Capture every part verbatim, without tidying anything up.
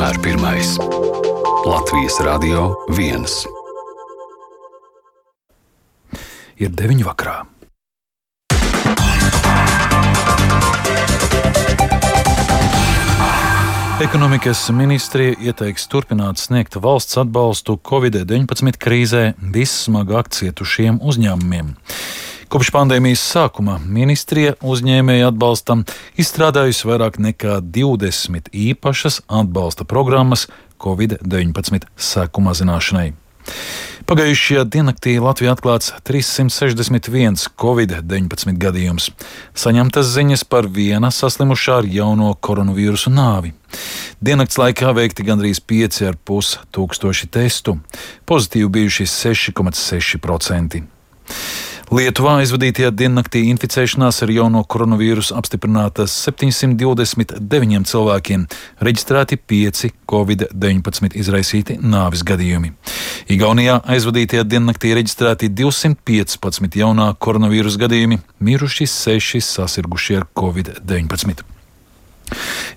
vienmēr pirmais. Latvijas Radio viens. Ir deviņi vakarā. Ekonomikas ministrija ieteiks turpināt sniegt valsts atbalstu covid deviņpadsmit krīzē vissmagāk cietušiem uzņēmumiem. Kopš pandēmijas sākuma ministrija uzņēmēju atbalstam izstrādājusi vairāk nekā divdesmit īpašas atbalsta programmas covid deviņpadsmit seku mazināšanai. Pagājušajā diennaktī Latvijā atklāts trīssimt sešdesmit viens covid deviņpadsmit gadījums. Saņemtas ziņas par viena saslimušā ar jauno koronavīrusu nāvi. Diennakts laikā veikti gandrīz pieci ar pus tūkstoši testu. Pozitīvi bijuši seši komats seši procenti. Lietuvā aizvadītajā diennaktī inficēšanās ar jauno koronavīrusu apstiprinātas septiņsimt divdesmit deviņiem cilvēkiem, reģistrēti pieci covid deviņpadsmit izraisīti nāves gadījumi. Igaunijā aizvadītajā diennaktī reģistrēti divsimt piecpadsmit jaunā koronavīrusa gadījumi, miruši seši sasirgušie ar covid deviņpadsmit.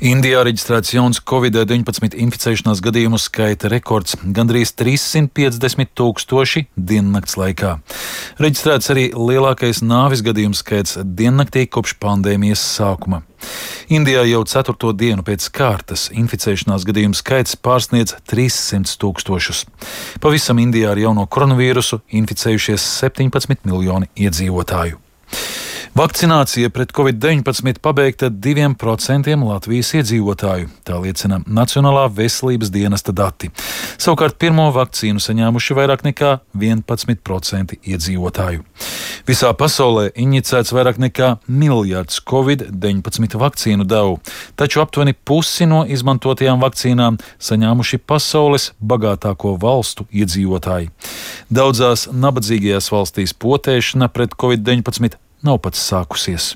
Indijā reģistrēts jauns covid deviņpadsmit inficēšanās gadījumu skaita rekords - gandrīz trīssimt piecdesmit tūkstoši diennakts laikā. Reģistrēts arī lielākais nāves gadījumu skaits diennaktī kopš pandēmijas sākuma. Indijā jau ceturto dienu pēc kārtas inficēšanās gadījumu skaits pārsniedz trīssimt tūkstošus. Pavisam Indijā ar jauno koronavīrusu inficējušies septiņpadsmit miljoni iedzīvotāju. Vakcinācija pret covid deviņpadsmit pabeigta diviem procentiem Latvijas iedzīvotāju, tā liecina Nacionālā veselības dienesta dati. Savukārt pirmo vakcīnu saņēmuši vairāk nekā vienpadsmit procenti iedzīvotāju. Visā pasaulē injicēts vairāk nekā miljards covid deviņpadsmit vakcīnu devu, taču aptuveni pusi no izmantotajām vakcīnām saņēmuši pasaules bagātāko valstu iedzīvotāji. Daudzās nabadzīgajās valstīs potēšana pret covid deviņpadsmit nav pats sākusies.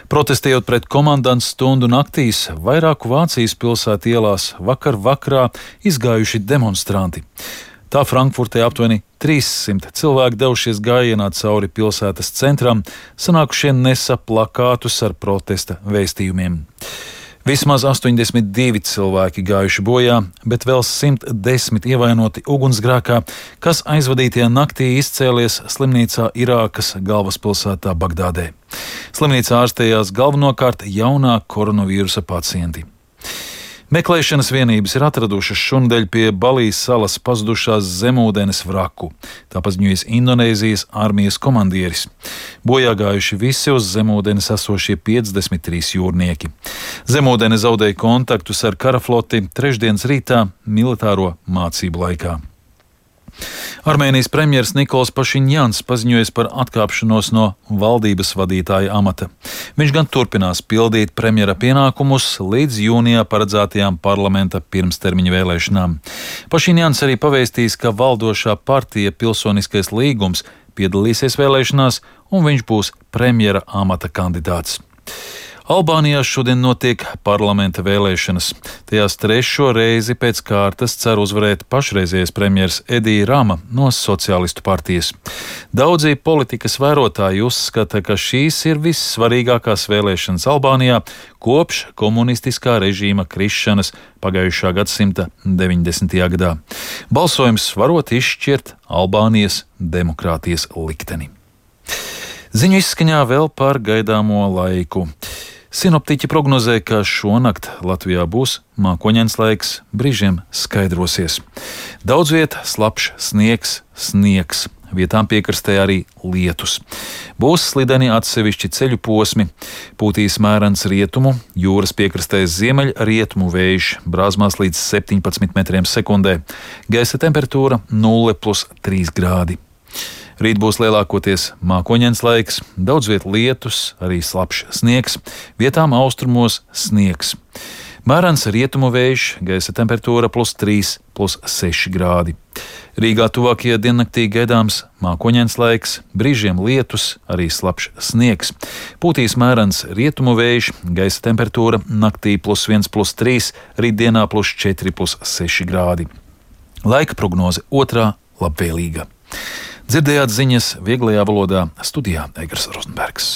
Protestējot pret komandantu stundu naktīs, vairāku Vācijas pilsētu ielās vakar vakarā izgājuši demonstranti. Tā Frankfurtē aptuveni trīssimt cilvēki devušies gājienā cauri pilsētas centram, sanākušie nesa plakātus ar protesta vēstījumiem. Vismaz astoņdesmit divi cilvēki gājuši bojā, bet vēl simt desmit ievainoti ugunsgrēkā, kas aizvadītajā naktī izcēlies slimnīcā Irākas galvaspilsētā Bagdādē. Slimnīcā ārstējās galvenokārt jaunā koronavīrusa pacienti. Meklēšanas vienības ir atradušas šonadēļ pie Balijas salas pazudušās zemūdens vraku, tā paziņojas Indonēzijas armijas komandieris. Bojā gājuši visi uz zemūdens esošie piecdesmit trīs jūrnieki. Zemūdene zaudēja kontaktus ar karafloti trešdienas rītā militāro mācību laikā. Armēnijas premjers Nikols Pašiņjans paziņojas par atkāpšanos no valdības vadītāja amata. Viņš gan turpinās pildīt premjera pienākumus līdz jūnijā paredzētajām parlamenta pirmstermiņa vēlēšanām. Pašiņjans arī pavēstījis, ka valdošā partija Pilsoniskais līgums piedalīsies vēlēšanās un viņš būs premjera amata kandidāts. Albānijā šodien notiek parlamenta vēlēšanas. Tajās trešo reizi pēc kārtas cer uzvarēt pašreizējais premjers Edija Rama no Sociālistu partijas. Daudzi politikas vērotāji uzskata, ka šīs ir vissvarīgākās vēlēšanas Albānijā kopš komunistiskā režīma krišanas pagājušā gadsimta deviņdesmitajā gadā. Balsojums varot izšķirt Albānijas demokrātijas likteni. Ziņu izskaņā vēl par gaidāmo laiku. Sinoptiķi prognozē, ka šonakt Latvijā būs mākoņains laiks, brīžiem skaidrosies. Daudz viet slapjš sniegs, sniegs, vietām piekrastē arī lietus. Būs slideni atsevišķi ceļu posmi, pūtīs mērens rietumu, jūras piekrastē ziemeļ rietumu vējš, brāzmās līdz septiņpadsmit metriem sekundē, gaisa temperatūra nulle plus trīs grādi. Rīt būs lielākoties mākoņains laiks, daudz viet lietus, arī slapjš sniegs, vietām austrumos sniegs. Mērens rietumu vējš, gaisa temperatūra plus trīs, plus seši grādi. Rīgā tuvākajā diennaktī gaidāms mākoņains laiks, brīžiem lietus, arī slapjš sniegs. Pūtīs mērens rietumu vējš, gaisa temperatūra naktī plus viens, plus trīs, rītdienā plus četri, plus seši grādi. Laika prognoze otrā labvēlīga. Dzirdējāt ziņas vieglajā valodā, studijā Egars Rozenbergs.